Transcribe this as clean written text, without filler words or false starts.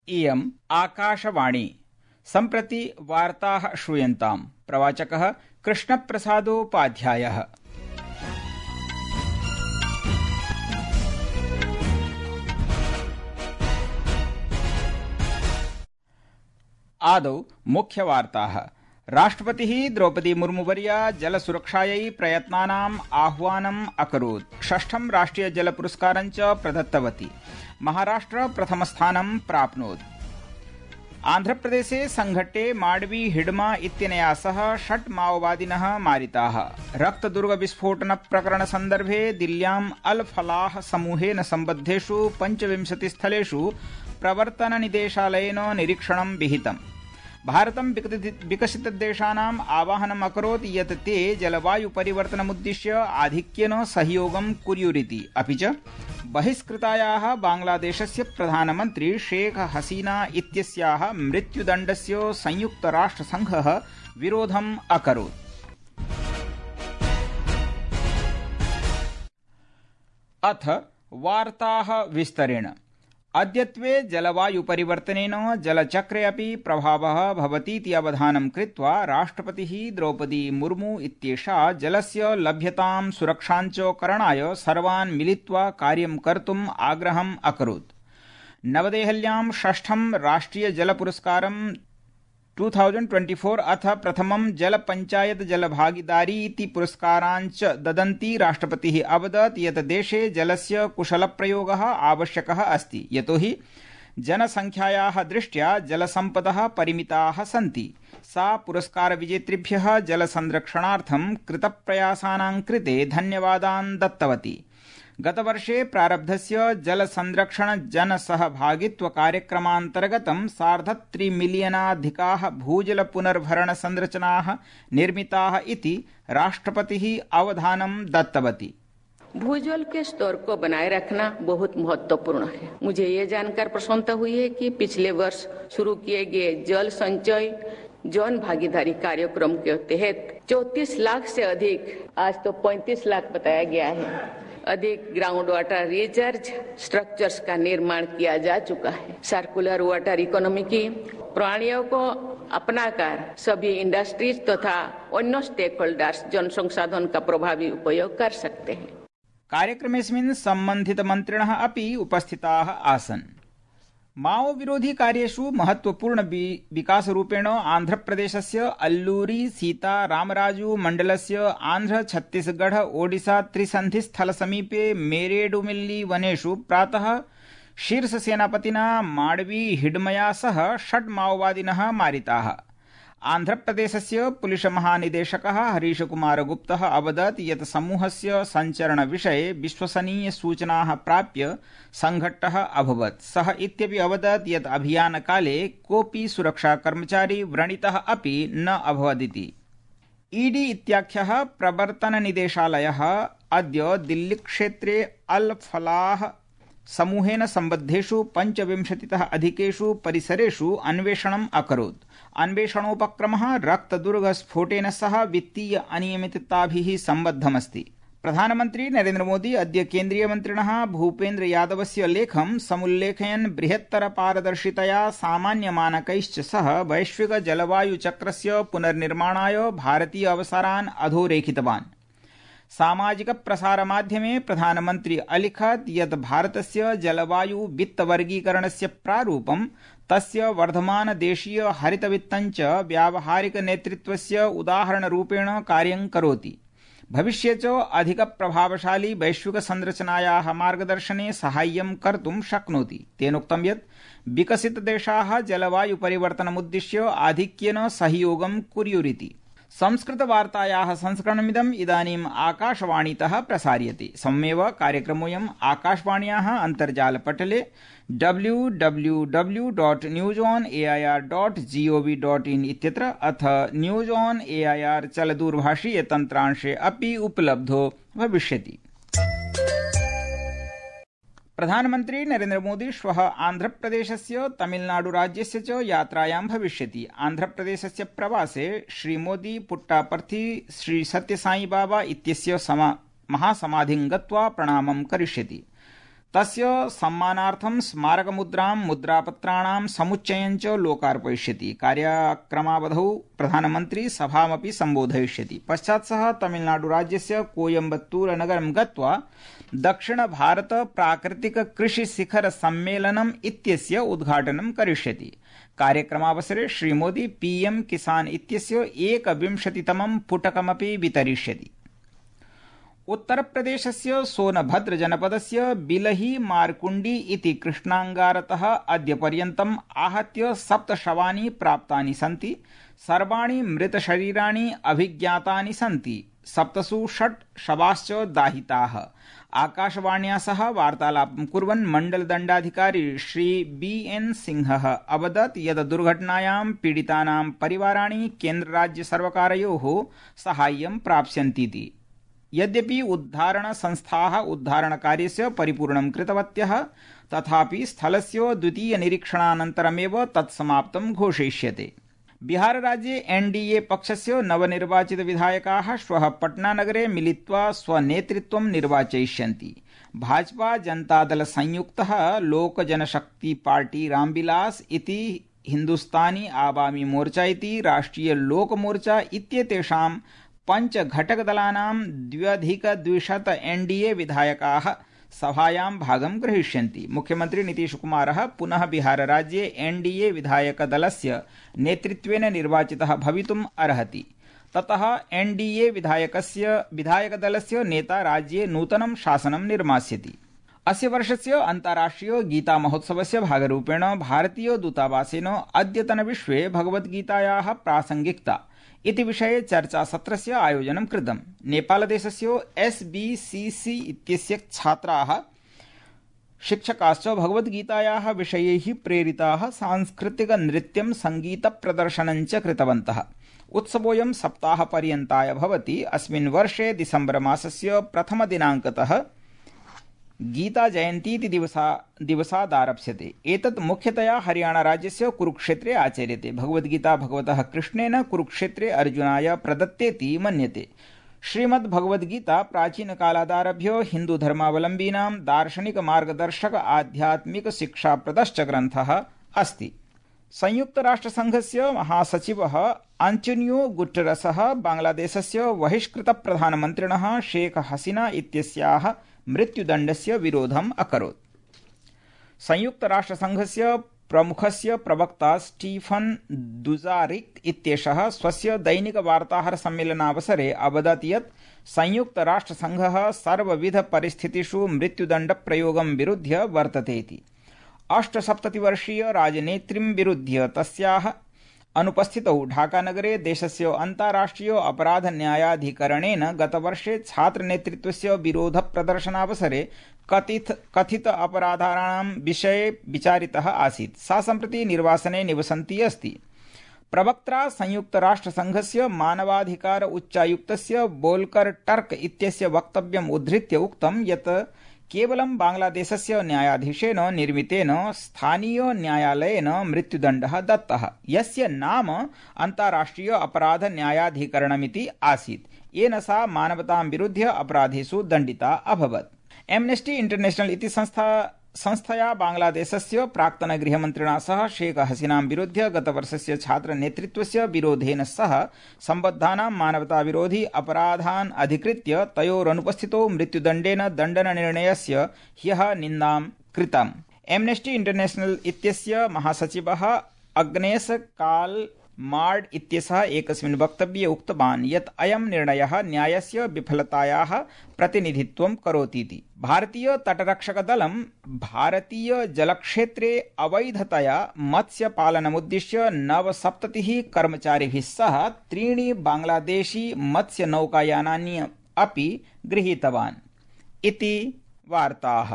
इयम् आकाशवाणी। सम्प्रति वार्ताः श्रूयन्ताम्। प्रवाचकः कृष्णप्रसादोपाध्यायः। आदौ मुख्यवार्ताः। राष्ट्रपतिः द्रौपदी मुर्मुवर्या जलसुरक्षायै प्रयत्नानाम् आह्वानम् अकरोत्। षष्ठं राष्ट्रिय जल पुरस्कारं च प्रदत्तवती। महाराष्ट्र प्रथमस्थानं प्राप्नोत्। आन्ध्रप्रदेशे संघट्टे माडवी हिडमा इत्यनया सह 6 माओवादिनः मारिताः। रक्तदुर्गविस्फोटन प्रकरण सन्दर्भे दिल्ल्याम् अल फलाह समूहेन सम्बद्धेषु 25 स्थलेषु प्रवर्तननिदेशालयेन निरीक्षणं विहितम्। भारतं विकसितदेशानाम् आवाहनम् अकरोत् यत् ते जलवायु परिवर्तनमुद्दिश्य आधिक्येन सहयोगं कुर्युरिति। अपि च बहिष्कृतायाः बांग्लादेशस्य प्रधानमन्त्री शेख हसीना इत्यस्याः मृत्युदण्डस्य संयुक्तराष्ट्रसङ्घः विरोधम् अकरोत्। अथ वार्ताः विस्तरेण। अद्यत्वे जलवायु परिवर्तनेन जलचक्रे अपि प्रभावः भवतीति अवधानं कृत्वा राष्ट्रपतिः द्रौपदी मुर्मू इत्येषा जलस्य लभ्यतां सुरक्षाञ्च करणाय सर्वान् मिलित्वा कार्यं कर्तुम् आग्रहम् अकरोत्। नवदेहल्यां षष्ठं राष्ट्रिय जल पुरस्कारं 2024 अथ प्रथमं जल पंचायत जल भागीदारी इति पुरस्काराञ्च ददन्ती राष्ट्रपतिः अवदत् यत् देशे जलस्य कुशलप्रयोगः आवश्यकः अस्ति, यतोहि जनसंख्यायाः दृष्ट्या जलसम्पदः परिमिताः सन्ति। सा पुरस्कारविजेतृभ्यः जलसंरक्षणार्थं कृतप्रयासानां कृते धन्यवादान् दत्तवती। गतवर्षे प्रारब्धस्य जलसंरक्षण जनसहभागित्व कार्यक्रमान्तर्गतं 3.5 मिलियनाधिकाः भूजल पुनर्भरण संरचनाः निर्मिताः इति राष्ट्रपतिः अवधानं दत्तवती। भूजल के स्तर को बनाए रखना बहुत महत्वपूर्ण है। मुझे ये जानकर प्रसन्नता हुई है कि पिछले वर्ष शुरू किए गए जल संचय जन भागीदारी कार्यक्रम के तहत 34 लाख से अधिक, आज तो 35 लाख बताया गया है, अधिक ग्राउंड वाटर रिचार्ज स्ट्रक्चर्स का निर्माण किया जा चुका है। सर्कुलर वाटर इकोनॉमी की प्रणालियों को अपनाकर सभी इंडस्ट्रीज तथा अन्य स्टेक होल्डर्स जन संसाधन का प्रभावी उपयोग कर सकते हैं। कार्यक्रमेऽस्मिन् सम्बन्धितमन्त्रिणः अपि उपस्थिताः आसन्। माओ विरोधी कार्येषु महत्वपूर्ण विकासरूपेण आन्ध्रप्रदेशस्य अल्लूरी सीता रामराजू मण्डलस्य आन्ध्र छत्तीसगढ़ ओडिशा त्रिसन्धिस्थलसमीपे मेरेडुमिल्ली वनेषु प्रातः शीर्षसेनापतिना माडवी हिडमया सह 6 माओवादिनः मारिताः। आन्ध्रप्रदेशस्य पुलिस महानिदेशकः हरीशकुमार गुप्तः अवदत् यत् समूहस्य सञ्चरणविषये विश्वसनीयसूचनाः प्राप्य संघट्टः अभवत्। सः इत्यपि अवदत् यत् अभियानकाले कोऽपि सुरक्षाकर्मचारी व्रणितः अपि न अभवदिति। ईडी इत्याख्यः प्रवर्तननिदेशालयः अद्य दिल्लीक्षेत्रे अल फलाह समूहेन सम्बद्धेषु 25तः अधिकेषु परिसरेषु अन्वेषणम् अकरोत्। अन्वेषणोपक्रमः रक्तदुर्गस्फोटेन सह वित्तीय अनियमितताभिः सम्बद्धमस्ति। प्रधानमन्त्री नरेन्द्र मोदी अद्य केन्द्रीयमन्त्रिणः भूपेन्द्र यादवस्य लेखं समुल्लेखयन् बृहत्तर पारदर्शितया सामान्यमानकैश्च सह वैश्विक जलवायुचक्रस्य पुनर्निर्माणाय भारतीय अवसरान् अधोरेखितवान्। सामाजिक प्रसारमाध्यमे प्रधानमन्त्री अलिखत् यत् भारतस्य जलवायु वित्तवर्गीकरणस्य प्रारूपं तस्य वर्धमान देशीय हरितवित्तञ्च व्यावहारिक नेतृत्वस्य उदाहरणरूपेण कार्यं करोति। भविष्ये च अधिक प्रभावशाली वैश्विक संरचनायाः मार्गदर्शने साहाय्यं कर्तुं शक्नोति। तेनोक्तं यत् विकसितदेशाः जलवायु परिवर्तनमुद्दिश्य आधिक्येन सहयोगं कुर्युरिति। संस्कृतवार्तायाः संस्करणमिदम् इदानीम् आकाशवाणीतः प्रसार्यते। सम्मेव कार्यक्रमोऽयम् आकाशवाण्याः अन्तर्जालपटले www.newsonair.gov.in इत्यत्र अथ न्यूज ऑन एआईआर चलदूरभाषीय तन्त्रांशे अपि उपलब्धो भविष्यति। प्रधानमन्त्री नरेन्द्र मोदी श्वः आन्ध्रप्रदेशस्य तमिलनाडुराज्यस्य च यात्रायां भविष्यति। आन्ध्रप्रदेशस्य प्रवासे श्रीमोदी पुट्टापर्थी श्री सत्यसाई बाबा इत्यस्य महासमाधिं गत्वा प्रणामं करिष्यति। तस्य सम्मानार्थं स्मारकमुद्रां मुद्रापत्राणां समुच्चयं च लोकार्पयिष्यति। कार्यक्रमावधौ प्रधानमन्त्री सभामपि सम्बोधयिष्यति। पश्चात् सः तमिलनाडुराज्यस्य कोयम्बत्तूरनगरं गत्वा दक्षिण भारत प्राकृतिक कृषि शिखर सम्मेलनम् इत्यस्य उद्घाटनं करिष्यति। कार्यक्रमावसरे श्रीमोदी पीएम किसान इत्यस्य 21तमं पुटकमपि वितरिष्यति। उत्तरप्रदेशस्य सोनभद्र जनपदस्य बिलही मारकुंडी इति कृष्णांगारतः अद्य पर्यन्तम् आहत्य 7 शवानि प्राप्तानि सन्ति। सर्वाणि मृतशरीराणि अभिज्ञातानि सन्ति। 7 शवाश्च दाहिताः। आकाशवाण्या सह वार्तालापं कुर्वन् मण्डलदण्डाधिकारी श्री BN सिंहः अवदत् यत् दुर्घटनायां पीडितानां परिवाराणि केन्द्रराज्यसर्वकारयोः साहाय्यं प्राप्स्यन्तीति। यद्यपि उद्धारण संस्थाः उद्धारणकार्यस्य परिपूर्णं कृतवत्यः, तथापि स्थलस्य द्वितीय निरीक्षणानन्तरमेव तत्समाप्तं घोषयिष्यते। बिहारराज्ये NDA पक्षस्य नवनिर्वाचित विधायकाः श्वः पटनानगरे मिलित्वा स्वनेतृत्वं निर्वाचयिष्यन्ति। भाजपा जनतादल संयुक्तः लोक जनशक्ति पार्टी रामविलास इति हिन्दुस्तानी आवामी मोर्चा इति राष्ट्रिय लोक मोर्चा इत्येतेषां 5 घटकदलानां 2200 NDA विधायकाः सभायां भागं ग्रहीष्यन्ति। मुख्यमन्त्री नीतीशकुमारः पुनः बिहारराज्ये NDA विधायकदलस्य नेतृत्वेन निर्वाचितः भवितुम् अर्हति। ततः NDA विधायकदलस्य नेता राज्ये नूतनं शासनं निर्मास्यति। अस्य वर्षस्य अन्ताराष्ट्रिय गीता महोत्सवस्य भागरूपेण भारतीय दूतावासेन अद्यतनविश्वे भगवद्गीतायाः प्रासंगिकता इति विषये चर्चासत्रस्य आयोजनं कृतम्। नेपालदेशस्य SBCC इत्यस्य छात्राः शिक्षकाश्च भगवद्गीतायाः विषयैः प्रेरिताः सांस्कृतिक नृत्यं संगीतप्रदर्शनं च कृतवन्तः। उत्सवोऽयं सप्ताहपर्यन्ताय भवति। अस्मिन् वर्षे दिसम्बर मासस्य 1 दिनाङ्कतः गीता जयन्ती इति दिवसादारप्स्यते। एतत् मुख्यतया हरियाणा राज्यस्य कुरुक्षेत्रे आचर्यते। भगवद्गीता भगवतः कृष्णेन कुरुक्षेत्रे अर्जुनाय प्रदत्तेति मन्यते। श्रीमद्भगवद्गीता प्राचीनकालादारभ्य हिन्दुधर्मावलम्बीनां दार्शनिक मार्गदर्शक आध्यात्मिक शिक्षाप्रदश्च ग्रन्थः अस्ति। संयुक्तराष्ट्रसंघस्य महासचिवः आंटोनियो गुटेरसः बांग्लादेशस्य बहिष्कृतप्रधानमन्त्रिणः शेख हसीना इत्यस्याः मृत्युदण्डस्य विरोधम् अकरोत्। संयुक्तराष्ट्रसंघस्य प्रमुखस्य प्रवक्ता स्टीफन दुजारिक इत्येषः स्वस्य दैनिक वार्ताहर सम्मेलनावसरे अवदत् यत् संयुक्तराष्ट्रसंघः सर्वविध परिस्थितिषु मृत्युदण्डप्रयोगं विरुध्य वर्तते इति। 78 राजनेत्रीं विरुध्य तस्याः अनुपस्थितौ ढाकानगरे देशस्य अन्ताराष्ट्रिय अपराध न्यायाधिकरणेन गतवर्षे छात्रनेतृत्वस्य विरोधप्रदर्शनावसरे कथित अपराधानां विषये विचारितः आसीत्। सा सम्प्रति निर्वासने निवसन्ती अस्ति। प्रवक्त्रा संयुक्तराष्ट्रसंघस्य मानवाधिकार उच्चायुक्तस्य बोल्कर टर्क इत्यस्य वक्तव्यम् उद्धृत्य उक्तं यत् केवलं बांग्लादेशस्य न्यायाधीशेन निर्मितेन स्थानीय न्यायालयेन मृत्युदण्डः दत्तः, यस्य नाम अन्ताराष्ट्रिय अपराध न्यायाधिकरणमिति आसीत्। येन सा मानवतां विरुध्य अपराधेषु दण्डिता अभवत्। एम्नेस्टी इंटरनेशनल इति संस्थया बांग्लादेशस्य प्राक्तन गृहमन्त्रिणा सह शेख हसीनां विरुध्य गतवर्षस्य छात्रनेतृत्वस्य विरोधेन सह सम्बद्धानां मानवताविरोधी अपराधान् अधिकृत्य तयोरनुपस्थितौ मृत्युदण्डेन दण्डननिर्णयस्य ह्यः निन्दां कृतम्। एम्नेस्टी इंटरनेशनल इत्यस्य महासचिवः अग्नेस काल मार्ड इत्यसः एकस्मिन् वक्तव्ये उक्तवान् यत् अयं निर्णयः न्यायस्य विफलतायाः प्रतिनिधित्वं करोतीति। भारतीय तटरक्षकदलं भारतीय जलक्षेत्रे अवैधतया मत्स्यपालनमुद्दिश्य 79 कर्मचारिभिः सह 3 बांग्लादेशी मत्स्यनौकायानानि अपि गृहीतवान् इति वार्ताः।